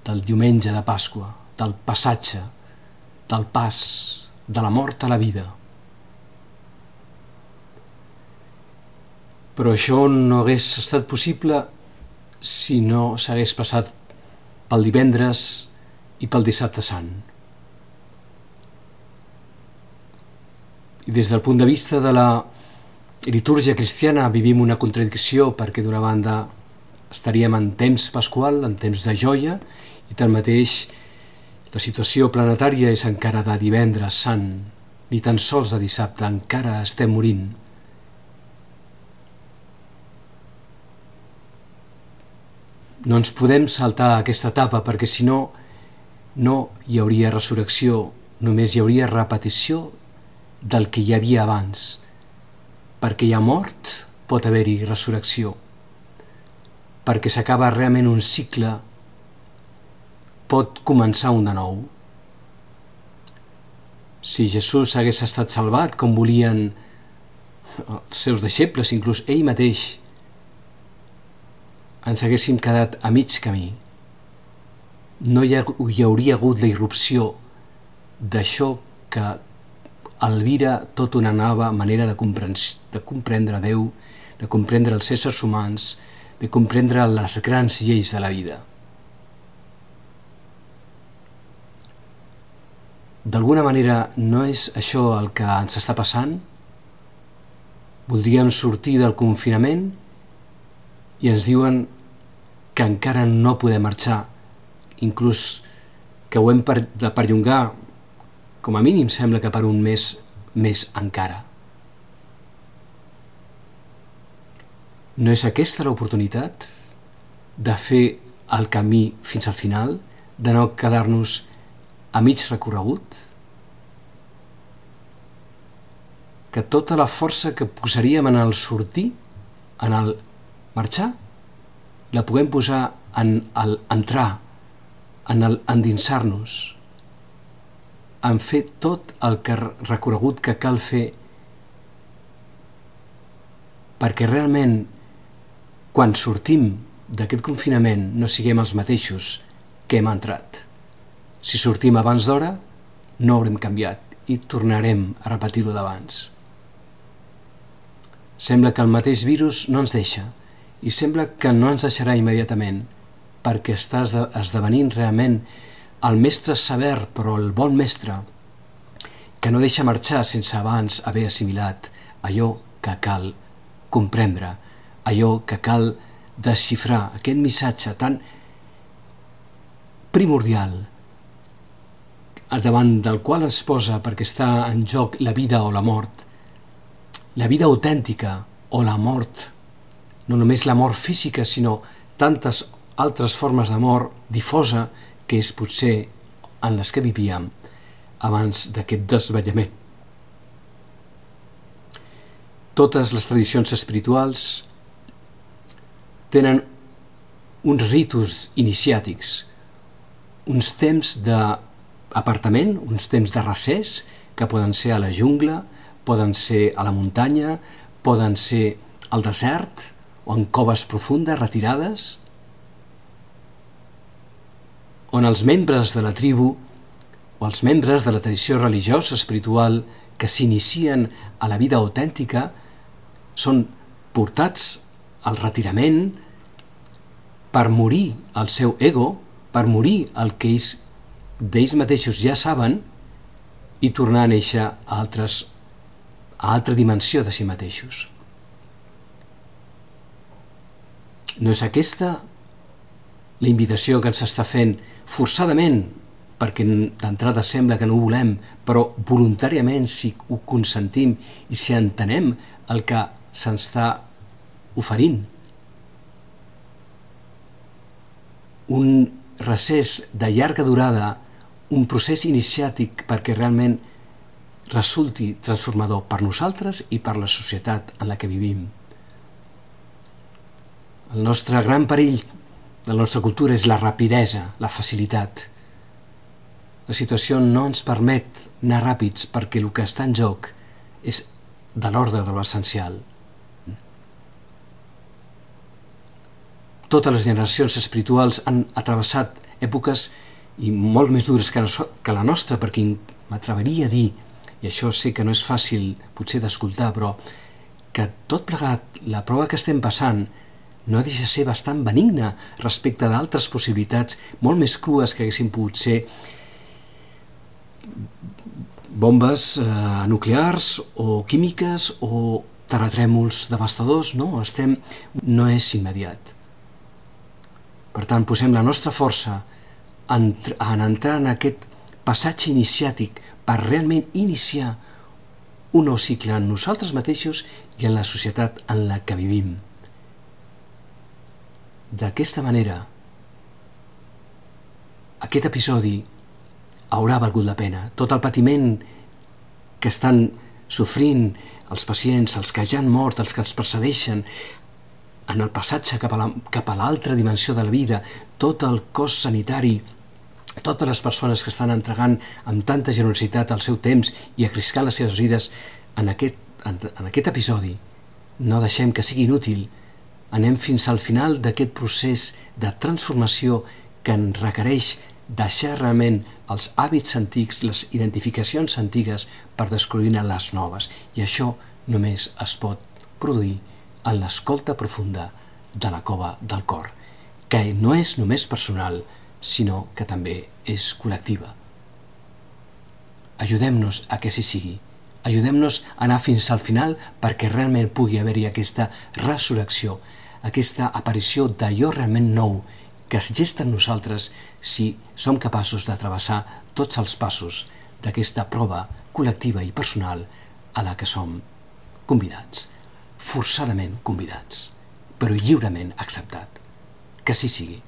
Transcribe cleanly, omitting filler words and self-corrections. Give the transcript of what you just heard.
del diumenge de Pasqua, del passatge, del pas de la mort a la vida. Però això no hagués estat possible si no s'hagués passat pel divendres i pel dissabte sant. I des del punt de vista de la litúrgia cristiana vivim una contradicció, perquè d'una banda estaríem en temps pasqual, en temps de joia, i tanmateix la situació planetària és encara de divendres sant, ni tan sols de dissabte, encara estem morint. No ens podem saltar aquesta etapa, perquè si no, no hi hauria resurrecció, només hi hauria repetició del que hi havia abans. Perquè hi ha mort, pot haver-hi resurrecció. Perquè s'acaba realment un cicle, pot començar un de nou. Si Jesús hagués estat salvat, com volien els seus deixebles, inclús ell mateix, ens haguéssim quedat a mig camí. No hi hauria hagut la irrupció d'això que albira tota una nova manera de comprendre Déu, de comprendre els éssers humans, de comprendre les grans lleis de la vida. D'alguna manera no és això el que ens està passant? Voldríem sortir del confinament i ens diuen que encara no podem marxar, inclús que ho hem de perllongar, com a mínim sembla que per un mes més encara. No és aquesta l'oportunitat de fer el camí fins al final, de no quedar-nos a mig recorregut? Que tota la força que posaríem en el sortir, en el marxar, la puguem posar en el entrar, en el endinsar-nos, en fer tot el recorregut que cal fer, perquè realment quan sortim d'aquest confinament no siguem els mateixos que hem entrat. Si sortim abans d'hora, no haurem canviat i tornarem a repetir-ho d'abans. Sembla que el mateix virus no ens deixa i sembla que no ens deixarà immediatament, perquè està esdevenint realment el mestre sever, però el bon mestre, que no deixa marxar sense abans haver assimilat allò que cal comprendre, allò que cal desxifrar, aquest missatge tan primordial davant del qual ens posa perquè està en joc la vida o la mort, la vida autèntica o la mort, no només la mort física, sinó tantes altres formes de mort difosa que és potser en les que vivíem abans d'aquest desvetllament. Totes les tradicions espirituals tenen uns ritus iniciàtics, uns temps d'apartament, uns temps de recés, que poden ser a la jungla, poden ser a la muntanya, poden ser al desert o en coves profundes, retirades, on els membres de la tribu o els membres de la tradició religiosa espiritual que s'inicien a la vida autèntica són portats al retirament per morir al seu ego, per morir el que d'ells mateixos ja saben i tornar a néixer a altra dimensió de si mateixos. No és aquesta la invitació que ens està fent forçadament, perquè d'entrada sembla que no ho volem, però voluntàriament si ho consentim i si entenem el que se'ns està oferint. Un recés de llarga durada, un procés iniciàtic perquè realment resulti transformador per nosaltres i per la societat en la que vivim. El nostre gran perill de la nostra cultura és la rapidesa, la facilitat. La situació no ens permet anar ràpids perquè el que està en joc és de l'ordre de l'essencial. Totes les generacions espirituals han atravessat èpoques i molt més dures que la nostra, perquè m'atreviria a dir, i això sé que no és fàcil potser d'escoltar, però que tot plegat, la prova que estem passant no deixa de ser bastant benigna respecte d'altres possibilitats molt més crues que haguessin pogut ser bombes nuclears o químiques o terratrèmols devastadors, no és immediat. Per tant, posem la nostra força en entrar en aquest passatge iniciàtic per realment iniciar un nou cicle en nosaltres mateixos i en la societat en la que vivim. D'aquesta manera, aquest episodi haurà valgut la pena. Tot el patiment que estan sofrint els pacients, els que ja han mort, els que ens precedeixen, en el passatge cap a l'altra dimensió de la vida, tot el cos sanitari, totes les persones que estan entregant amb tanta generositat el seu temps i arriscant les seves vides en aquest episodi, no deixem que sigui inútil. Anem fins al final d'aquest procés de transformació que ens requereix deixar realment els hàbits antics, les identificacions antigues per descobrir-ne les noves. I això només es pot produir en l'escolta profunda de la cova del cor, que no és només personal, sinó que també és col·lectiva. Ajudem-nos a que així sigui. Ajudem-nos a anar fins al final perquè realment pugui haver-hi aquesta resurrecció, aquesta aparició d'allò realment nou que es gesta en nosaltres si som capaços de travessar tots els passos d'aquesta prova col·lectiva i personal a la que som convidats, forçadament convidats, però lliurement acceptat. Que així sigui.